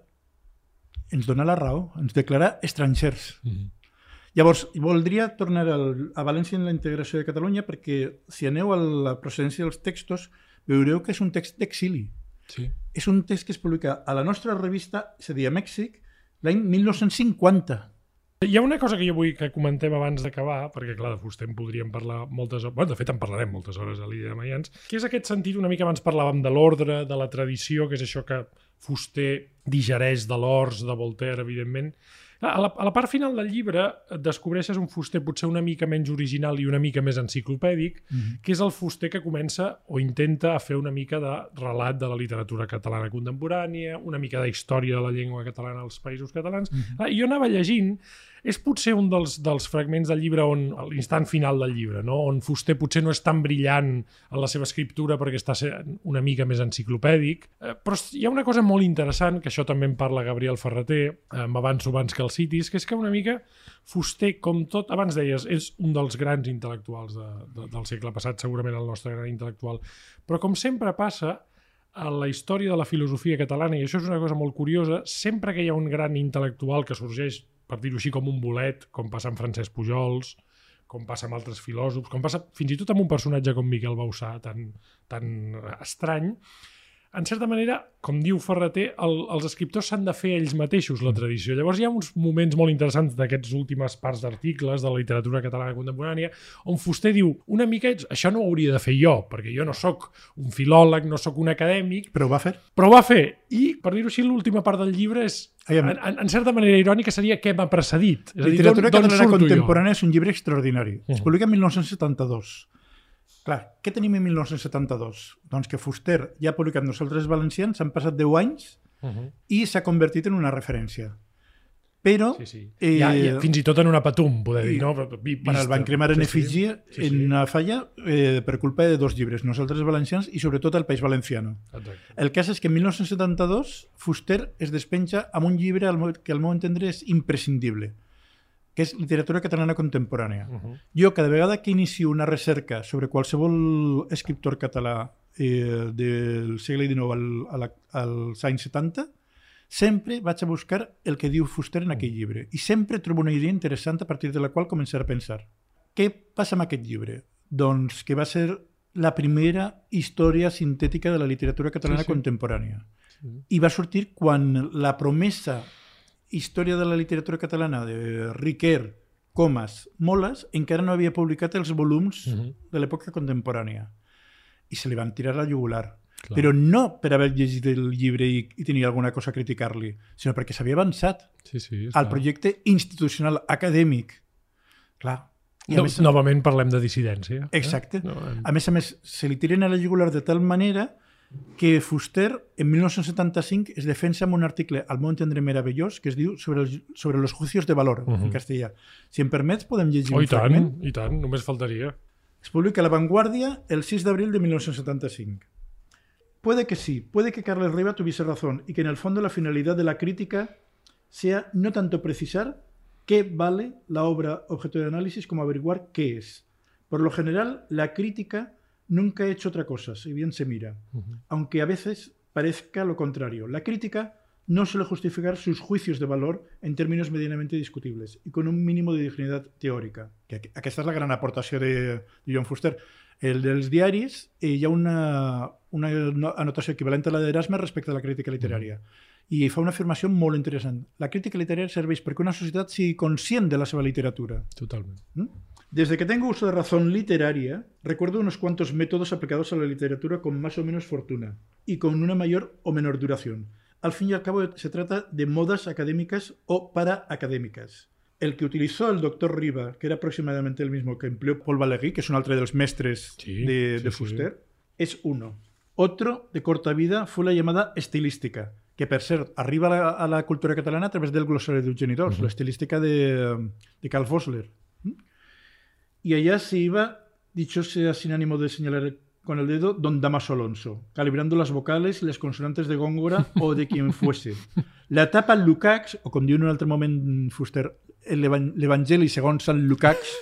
ens dona la raó, ens declara estrangers. Uh-huh. Llavors, voldria tornar al, a València en la integració de Catalunya perquè si aneu a la procedència dels textos veureu que és un text d'exili. Sí. És un text que es publica a la nostra revista, és a dir, a Mèxic, l'any mil nou-cents cinquanta. Hi ha una cosa que jo vull que comentem abans d'acabar, perquè clar, de Fuster en podríem parlar moltes hores, bueno, de fet en parlarem moltes hores a l'Illa de Mayans, que és aquest sentit, una mica abans parlàvem de l'ordre, de la tradició, que és això que Fuster digereix de l'Ors, de Voltaire, evidentment. A la, a la part final del llibre descobreixes un Fuster potser una mica menys original i una mica més enciclopèdic, mm-hmm. que és el Fuster que comença o intenta fer una mica de relat de la literatura catalana contemporània, una mica de història de la llengua catalana als països catalans. Mm-hmm. Ah, jo anava llegint, és potser un dels, dels fragments del llibre on, a l'instant final del llibre, no? On Fuster potser no és tan brillant en la seva escriptura perquè està sent una mica més enciclopèdic, eh, però hi ha una cosa molt interessant, que això també en parla Gabriel Ferrater, eh, m'avanço abans que el citis, que és que una mica Fuster, com tot, abans deies, és un dels grans intel·lectuals de, de, del segle passat, segurament el nostre gran intel·lectual, però com sempre passa, a la història de la filosofia catalana, i això és una cosa molt curiosa, sempre que hi ha un gran intel·lectual que sorgeix, per dir-ho així, com un bolet, com passa amb Francesc Pujols, com passa amb altres filòsofs, com passa fins i tot amb un personatge com Miquel Bausà, tan, tan estrany, en certa manera, com diu Ferreter, el, els escriptors s'han de fer ells mateixos la tradició. Llavors hi ha uns moments molt interessants d'aquests últimes parts d'articles de la literatura catalana contemporània on Fuster diu, una mica, això no ho hauria de fer jo, perquè jo no sóc un filòleg, no sóc un acadèmic... Però ho va fer. Però ho va fer. I, per dir-ho així, l'última part del llibre és, en, en, en certa manera irònica, seria què m'ha precedit. És a dir, literatura d'on, d'on catalana surto contemporània jo? És un llibre extraordinari. Uh-huh. Es publica en mil nou-cents setanta-dos. Clar, què tenim en mil nou-cents setanta-dos? Doncs que Fuster ja ha publicat Nosaltres valencians, han passat deu anys uh-huh. i s'ha convertit en una referència. Però... Sí, sí. Eh, ja, ja, fins i tot en una patum, poder dir, no? Vista. Bueno, el van cremar en efígie sí, sí. sí, sí. en una falla eh, per culpa de dos llibres, Nosaltres valencians i sobretot El País Valenciano. Exacte. El cas és que en mil nou-cents setanta-dos Fuster es despenja amb un llibre que al meu entendre és imprescindible, que és literatura catalana contemporània. Uh-huh. Jo, cada vegada que inicio una recerca sobre qualsevol escriptor català eh, del segle dinou al, al, als anys setanta, sempre vaig a buscar el que diu Fuster en aquell llibre. I sempre trobo una idea interessant a partir de la qual començar a pensar. Què passa amb aquest llibre? Doncs que va ser la primera història sintètica de la literatura catalana sí, sí. contemporània. Sí. I va sortir quan la promesa història de la literatura catalana de Riquer, Comas, Moles, encara no havia publicat els volums uh-huh. de l'època contemporània. I se li van tirar la jugular. Clar. Però no per haver llegit el llibre i, i tenir alguna cosa a criticar-li, sinó perquè s'havia avançat sí, sí, al projecte institucional acadèmic. Clar. I no, més, novament parlem de dissidència. Exacte. Eh? No, en... A més a més, se li tiren a la jugular de tal manera que Fuster, en mil nou-cents setanta-cinc, es defensa amb un article, al meu entendre meravellós, que es diu sobre, el, sobre los juicios de valor, uh-huh. en castellà. Si em permets, podem llegir oh, un i tant, fragment? I tant, només faltaria. Es publica a La Vanguardia el seis de abril de mil novecientos setenta y cinco. Puede que sí, puede que Carles Riba tuviese razón y que en el fondo la finalidad de la crítica sea no tanto precisar qué vale la obra objeto de análisis como averiguar qué es. Por lo general, la crítica nunca ha hecho otra cosa, si bien se mira, uh-huh. aunque a veces parezca lo contrario. La crítica no suele justificar sus juicios de valor en términos medianamente discutibles y con un mínimo de dignidad teòrica. Que aquesta és la gran aportació de, de Joan Fuster. El dels diaris eh, hi ha una, una anotació equivalent a la d'Erasme respecte a la crítica literària. I fa una afirmació molt interessant. La crítica literària serveix perquè una societat sigui conscient de la seva literatura. Totalment. ¿Mm? Desde que tengo uso de razón literaria, recuerdo unos cuantos métodos aplicados a la literatura con más o menos fortuna y con una mayor o menor duración. Al fin y al cabo se trata de modas académicas o paraacadémicas. El que utilizó el doctor Riba, que era aproximadamente el mismo que empleó Paul Valéry, que es un altre dels mestres sí, de, de sí, Fuster, sí. es uno. Otro de corta vida fue la llamada estilística, que per cert arriba a la, a la cultura catalana a través del glosario de Eugeni d'Ors, uh-huh. la estilística de, de Karl Vossler. Y allá se iba, dicho sea sin ánimo de señalar con el dedo, don Damaso Alonso, calibrando las vocales y las consonantes de Góngora o de quien fuese. La etapa Lukács, o com diu en un altre moment Fuster, l'Evangeli segons Sant Lukács,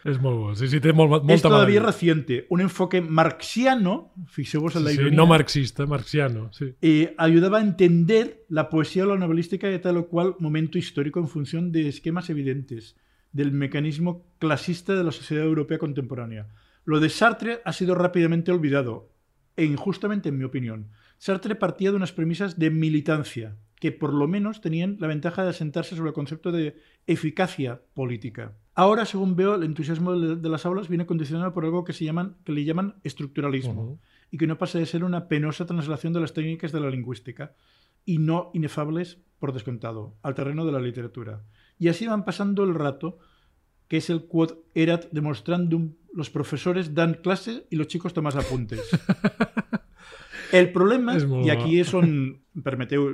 és molt bo, sí, sí, té molt, molta es todavía mala. Reciente, un enfoque marxiano, fixeu-vos en la ironia, sí, no marxista, marxiano, sí. Eh, ayudaba a entender la poesía o la novelística de tal o cual momento histórico en función de esquemas evidentes del mecanismo clasista de la sociedad europea contemporánea. Lo de Sartre ha sido rápidamente olvidado, e injustamente en mi opinión. Sartre partía de unas premisas de militancia, que por lo menos tenían la ventaja de asentarse sobre el concepto de eficacia política. Ahora, según veo, el entusiasmo de las aulas viene condicionado por algo que, se llaman, que le llaman estructuralismo, uh-huh. y que no pasa de ser una penosa translación de las técnicas de la lingüística, y no inefables, por descontado, al terreno de la literatura. Y así van pasando el rato, que es el quod erat demostrandum, los profesores dan clase y los chicos tomas apuntes. El problema, i aquí és on, permeteu,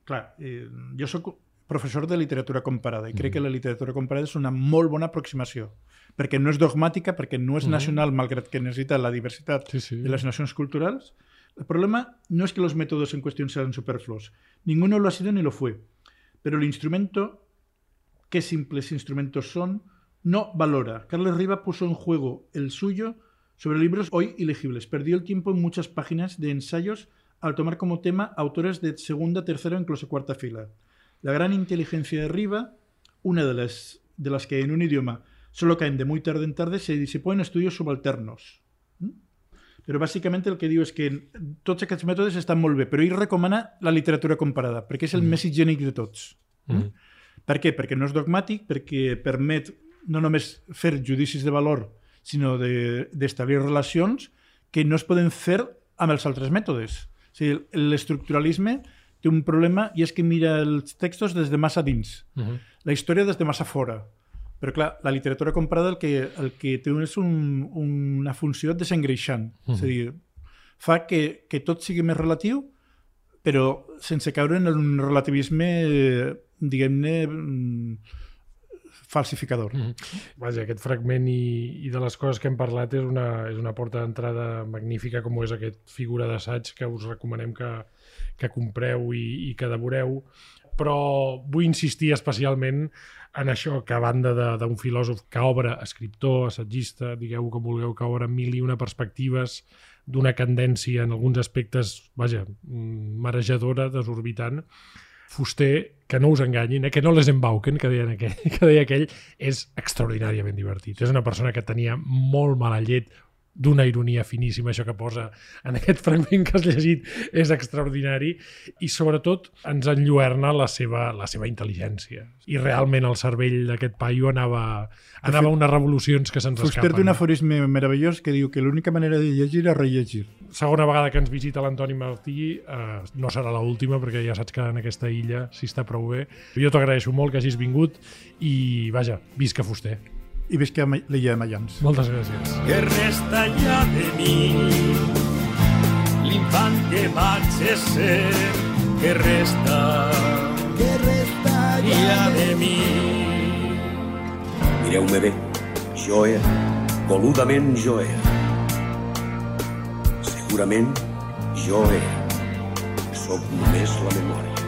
clar, eh, jo soc professor de literatura comparada i crec mm. que la literatura comparada és una molt bona aproximació, perquè no és dogmàtica, perquè no és mm. nacional, malgrat que necessita la diversitat sí, sí. de les nacions culturals. El problema no es que los métodos en cuestión sean superfluos. Ninguno lo ha sido ni lo fue. Pero el instrumento, qué simples instrumentos son, no valora. Carles Riba puso en juego el suyo sobre libros hoy ilegibles. Perdió el tiempo en muchas páginas de ensayos al tomar como tema autores de segunda, tercera o incluso cuarta fila. La gran inteligencia de Riva, una de las, de las que en un idioma solo caen de muy tarde en tarde, se disipó en estudios subalternos. ¿Mm? Però bàsicament el que diu és que tots aquests mètodes estan molt bé, però ell recomana la literatura comparada, perquè és el mm. més higiènic de tots. Mm. Per què? Perquè no és dogmàtic, perquè permet no només fer judicis de valor, sinó d'establir de, relacions que no es poden fer amb els altres mètodes. O sigui, l'estructuralisme té un problema i és que mira els textos des de massa dins, mm-hmm. la història des de massa fora. Però, clar, la literatura comparada el que, el que té és un, una funció desengreixant. Mm. És a dir, fa que, que tot sigui més relatiu, però sense caure en un relativisme, diguem-ne, falsificador. Mm. Vaja, aquest fragment i, i de les coses que hem parlat és una, és una porta d'entrada magnífica, com és aquest figura d'assaig que us recomanem que, que compreu i, i que devoreu. Però vull insistir especialment en això, que a banda d'un filòsof que obre, escriptor, assagista, digueu com vulgueu, que obre mil i una perspectives d'una candència en alguns aspectes, vaja, marejadora, desorbitant, Fuster, que no us enganyin, eh, que no les embauquen, que deia aquell, que deia aquell, és extraordinàriament divertit. És una persona que tenia molt mala llet, d'una ironia finíssima, això que posa en aquest fragment que has llegit és extraordinari, i sobretot ens enlluerna la seva, la seva intel·ligència. I realment el cervell d'aquest paio anava, anava a unes revolucions que se'ns escapen. Fuster té un aforisme meravellós que diu que l'única manera de llegir és rellegir. Segona vegada que ens visita l'Antoni Martí, eh, no serà l'última, perquè ja saps que en aquesta illa s'hi està prou bé. Jo t'agraeixo molt que hagis vingut i, vaja, visca Fuster. I visca l'illa de Mayans. Moltes gràcies. Que resta ja de mi l'infant que vaig ser, que resta, que resta ja, ja de mi. Mireu-me bé, jo era, voludament jo era. Segurament jo era, sóc només la memòria.